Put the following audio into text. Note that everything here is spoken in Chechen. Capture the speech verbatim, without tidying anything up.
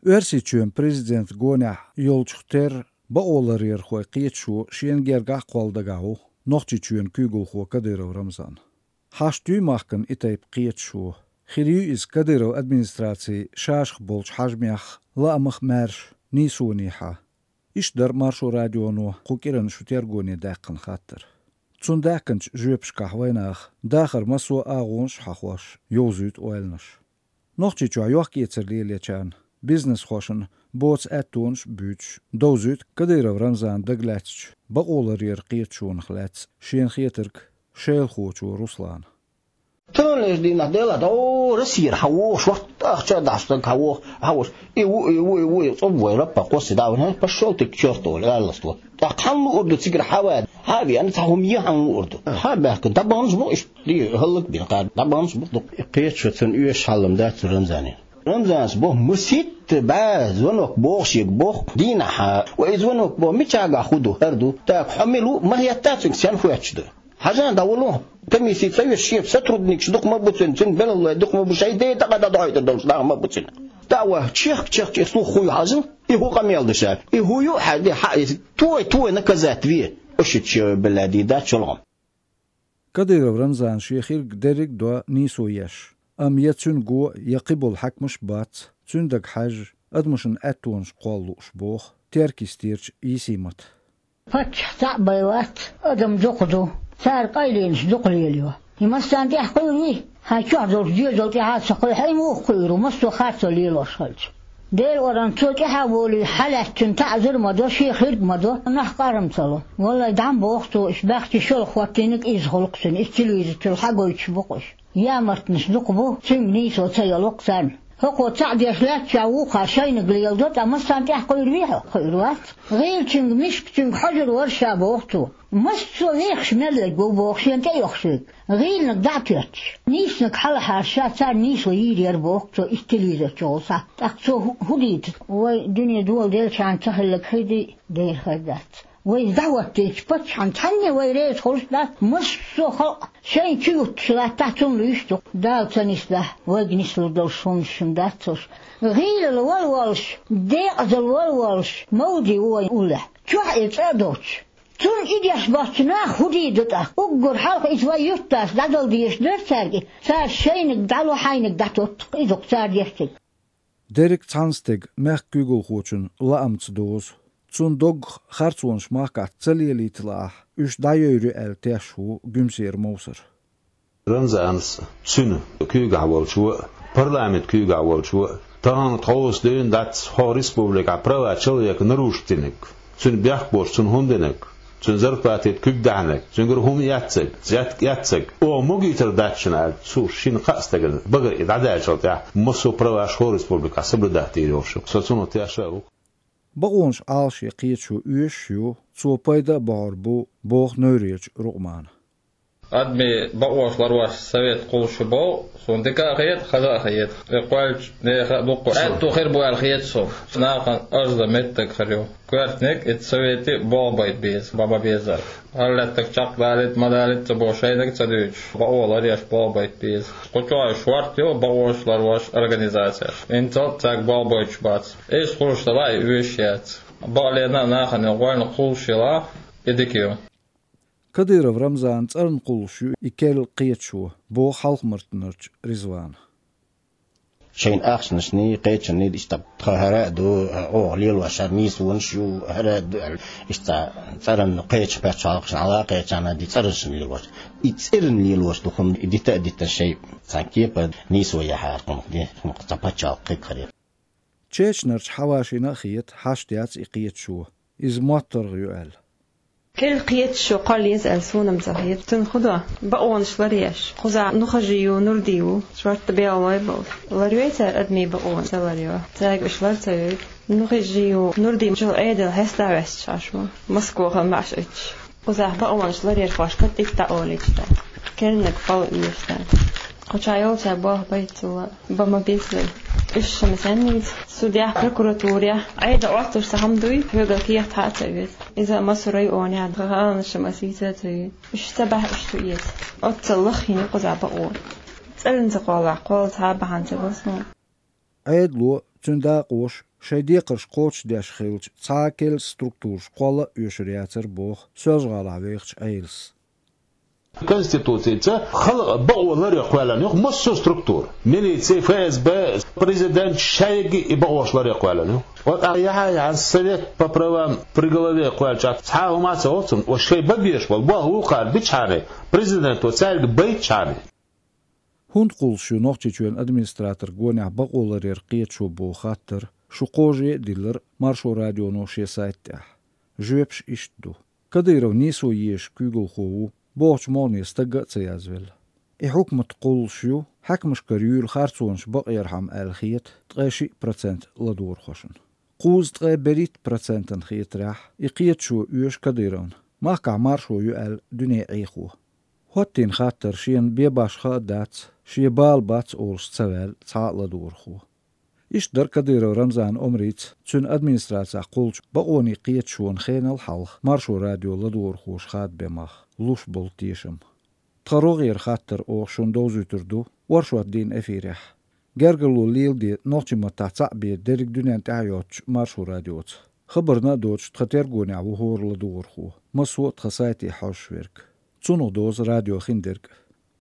Оьрсийчоьнан президентан гонехь йолчух терра бакъоларъярхойн кхеташо шена гергахь а кхолла дагахь ву Нохчийчоьнан куьйгалхо Кадыров Рамзан. Хьашт юй махкана и тайпа кхеташо? Хир юй иза Кадыровн администрацин шашах болчу хьаьжмех, лаамах а маьрша, нийсонехьа? Иштта дара Маршо радионо кху кӀиранан шун тергоне даьккхина хаттар. Цунна даьккхинчу жоьпашкахь вайнаха дахаран массо а агӀонаш а хьахош, йовзуьйту ойланаш. Нохчийчохь йохк-эцар лелочарна, бизнесхошна боцу аьттонаш а буьйцуш, довзуьйту Кадыров Рамзанна дагалаьцначу бакъоларъяран кхеташонах лаьцна шена хетарг шайлахочо Руслана. Таханлерчу дийнахь делахь, о, Россера хьан вогӀу, шортта ахча а дахьаш стаг хьан вогӀу, хьан вогӀу. И ву, и ву, и ву, и цӀа вай лаппа кхосси дӀа а вахана, пошёл ты к чёрту, олий, аллас тхо. ТӀаккха хьан луур ду цигара хьан ван? Хьан а веана, цхьа хӀума е хьан луур ду? Хьан а баьхкина, дӀабаханаш бу иштта, хьаллаг бина кхара, дӀабаханаш бу дукха. И кхеташо цунна оьшуш хьал-м дац цу Рамзанан. Рамзанца боху маситта бӀе звонок боху шега боху, дийнахь, вай звонок боху, мичахьа хӀун ду, хӀара ду. ТӀаккха хьо мила ву, ма хетта цуьнга, сенна хоьттуш ду. Хьажа, дӀавало. Комисси ца веш, шен сотрудникаш дукха ма бу цуьнан, цуьнан белхалой дукха ма бу, шайн ден тӀаккха дӀадохьуьйтур долуш нах ма бу цуьнан. ТӀаккха вай чехка-чехка и слух хуй хьажал, и хӀун къамел ду ша? И хӀун ю хьаьжде, хьан иза той, той наказать ве? Ошича белла дийр дац чолгӀам. Кадыров Рамзана шен хирг дерриг а до нийсо еш, амма я цуьнан го, я кхиболу хьаькамаш а бац, цуьнан дага хьаьжжа, адамашна аьттонаш кхолла лууш боху Теркйистерчу Йисимата. Паччахь цхьаъ бен вац, адам дукха ду, цара къайленаш дукха лелайо. И массарна тӀехь кхуьур вий? Хьайн чохь долчу доьзал тӀехь а ца кхуьу, хьо и муха кхуьур ву, массо а харцо лелош хилча? Делан оран цо тӀаьхьа волий, хьалаьцначун таӀзар а ма до, шен хирг а ма до, нах къарам ца ло. Валлай, дӀа ма боху цо, уьш баьхча шолгӀа хӀоттийнарг иза хуьлу-кх цуьнан, иза телевизор чуьра хьагойтуш бу-кх уьш. Ямартнаш дукха бу, цуьнга нийсо ца йо-кх царна. ХӀокхо цхьаъ деш лаьттачохь вукхара шайниг леладо, ткъа массарна тӀехь кхуьур вий хьо? Кхуьур вац. ГӀийлачуьнга, мискачуьнга хьожур вара ша, боху цо. Массо а вехаш мел лерг ву, боху, шена тӀеоьхуш верг. ГӀийланиг дӀа а тоьттуш, нийсаниг хьалахьара ша, царна нийсо йийр яра, боху цо, иза телевизор чухула схьа. ТӀаккха цо хӀу-, хӀун дийца? Вай дуьне доладелчарна ца хилларг хир дий? Дера хир дац. Вай иза дӀахӀоттийча паччахьна цхьанне вай реза хуьлуш дац, массо а халкъ шайна чу юттуш латтахь, цунна луьйш ду-кх. Дала ца нисдахь, вайга нислур долуш хӀуманаш шуна дац уьш. ГӀийлалла вала волуш, декъазалла вала волуш, Мавди ву вайн уллехь. Чохь и цӀа а доцуш. Цунна и деш боцчу наха хӀун дийр ду тӀаккха? Уггар хьалха иза вай юьртдас дӀадала дезаш дара цаьрга и. Цара шайниг дӀало, хьайниг дӀатотту-кх, иза-кх цара деш дерг. Дерриг а цхьана стеган, мехкан куьйгалхочун лаамца дозу. Цунна доггах харцонаш махкахь ца лелийта лаахь, уьш дӀайойр ю аьлла тешаш ву Гуьмсера Мовсар. Рамзанца, цуьнан куьйгахь волчо а, парламентан куьйгахь волчо а, тахана тховса дуьйна дац хӀокху республикехь права человека нарушить динарг, цуьнан бехк боцуш цунна хӀума динарг, цуьнан зарплатина куьг даьхьнарг, цуьнгара хӀума эцнарг, взятка эцнарг, оха могийтар дац шуна аьлла, цо шина-кхаа стагана багара и дӀадаьллачул тӀаьхьа массо а праваш хӀокху республикехь соблюдать дийр йолуш ю. Со цунах тешна а ву-кх. Бакъонаш Ӏалашъян кхеташо оьшуш ю, цо пайда а бохьур бу, боху Невречу Рукъмана. Адамийн бакъонаш ларъеш совет кхуллуш ю боху, суна дика а хета, хаза а хета. И кхоьллинчу нехан а дуккха аьтто хир бу аьлла хета суна. Нахана ажза меттиг хир ю. Коьртаниг и советий болх байта беза, бан ма безара. ХӀара лаьттаг чекхдалийта, ма далийта ца бохуш, шайниг а ца дуьйцуш, бакъо ларъеш болх байта беза. Кху чохь шорта ю бакъонаш ларъеш организацеш. ХӀинццалц цаьрга болх бойтуш бац. Иза хуьлуш делахь, и оьшуш яц. Бакъ лена а нахана гӀоьнна кхуллуш елахь, и дика ю. Кадыров Рамзанан цӀарна кхуллуш ю и керла кхеташо, боху Хьалха-Мартанарчу Ризвана. Шайна ахчанашний, кхечанний иштта тхан хӀара а ду, оха лелош хӀара нийсонаш ю, хӀара а ду аьлла, иштта цӀарна кхечу пачхьалкхашна хьала а кхечарна ди цӀарашна лелош. И цӀарна лелош ду хӀума, и дита а дитина шайн цхьана кепара нийсо яхьара хӀума ди, хӀума цхьа пачхьалкх кхин хир яра. Чечнарчу Хьавашина а хета, хьашт яц и кхеташо, иза мотт-таргӀа ю аьлла. Керла кхеташо кхолла еза аьлла суна-м ца хета. Цунна хӀун до? Бакъонаш ларъеш. Кхузахь Нухажи ю, Нурди ву, шортта белхалой а болуш. Ларъйой цара адамийн бакъонаш? Ца ларъйо. Цаьрга уьш лар ца йойду. Нухажи ю, Нурди чул Ӏедал хьестахь ваьсташ Ӏаш ву, Москвахь маьӀаш оьцуш. Кхузахь бакъонаш ларъярхошка тӀе дӀаолийча дац. Кернаг хьала оьшу царна. Кху чохь йолчара болх байта цо, бан ма беззара. Уьш шуна сенна нийса? Судехь, прокуратурехь Ӏедал Ӏоттуш цхьа хӀума дуй, хьоьгара кехат хьа а ца оьцу. Иза массо а районехь тхан гӀаланаш ма сийца а ца йой. Уьш ца бахь уьш ца эца. Оццул лаххийна ю кхузахь бакъо. ЦӀарна ца кхоллахь, кхолла цхьа а бахьана ца го суна. Ӏедало Цуьнан дакъоша шайн декхарш кхочушдеш хилча, цхьа а керла структураш кхолла а оьшур яцара, боху Соьлжа-ГӀалахь вехачу Ӏелас. Конституцица хала бакъо ларъе кхоьллина ю массо а структура. Милици, ФСБ, президент шайга и бакъош ларъе кхоьллина ю. Вот а яхьа-яхьа совет по правам при главе кхоьллича, цхьа а хӀума а ца олу цунна, ва шайн бан безаш болу болх вукхара бичхьана, президенто цаьрга байтачхьана. ХӀунда кхуллуш ю Нохчийчоьнан администратор гонехь бакъо ларъяран кхеташо боху хаттар шу кхаже а диллира Маршо радионо шен сайта тӀехь. Жоьпаш иштта ду. Кадыров нийсо езаш куьйгалхо ву бохучу могӀане стагга а ца язвелла. И хьукмат кхуллуш ю хьаькамашкара юьйлу харцонаш бакъярхьама аьлла хета ткъе шиъ процент ладогӀархошна. Кхузткъе берхӀитта процентана хетарехь, и кхеташо оьшу Кадыровна, махкахь маршо ю аьлла дуьне Ӏехо. ХӀоттийна хаттар шена бен башха а дац, шен бала бац олуш ца ваьлла цхьа а ладогӀархо. Иштта дара Кадыров Рамзанан омрица цуьнан администрацехь кхуллучу бакъонийн кхеташонан хенал хьалха Маршо радион ладогӀархоша хадабен мах, луш болу тешам. Тхан рогӀера хаттар оха шуна довзуьйтур ду оршот дийнан эфирехь. Гергарло леладе нохчийн маттахь цхьаъ бен дерриг дуьненна тӀаьхьа йоцучу Маршо радиоца. Хабарна а доцуш, тхан тергонехь ву хӀора ладогӀархо, массо а тхан сайте хьожуш верг. Цунах дозу радион хиндерг.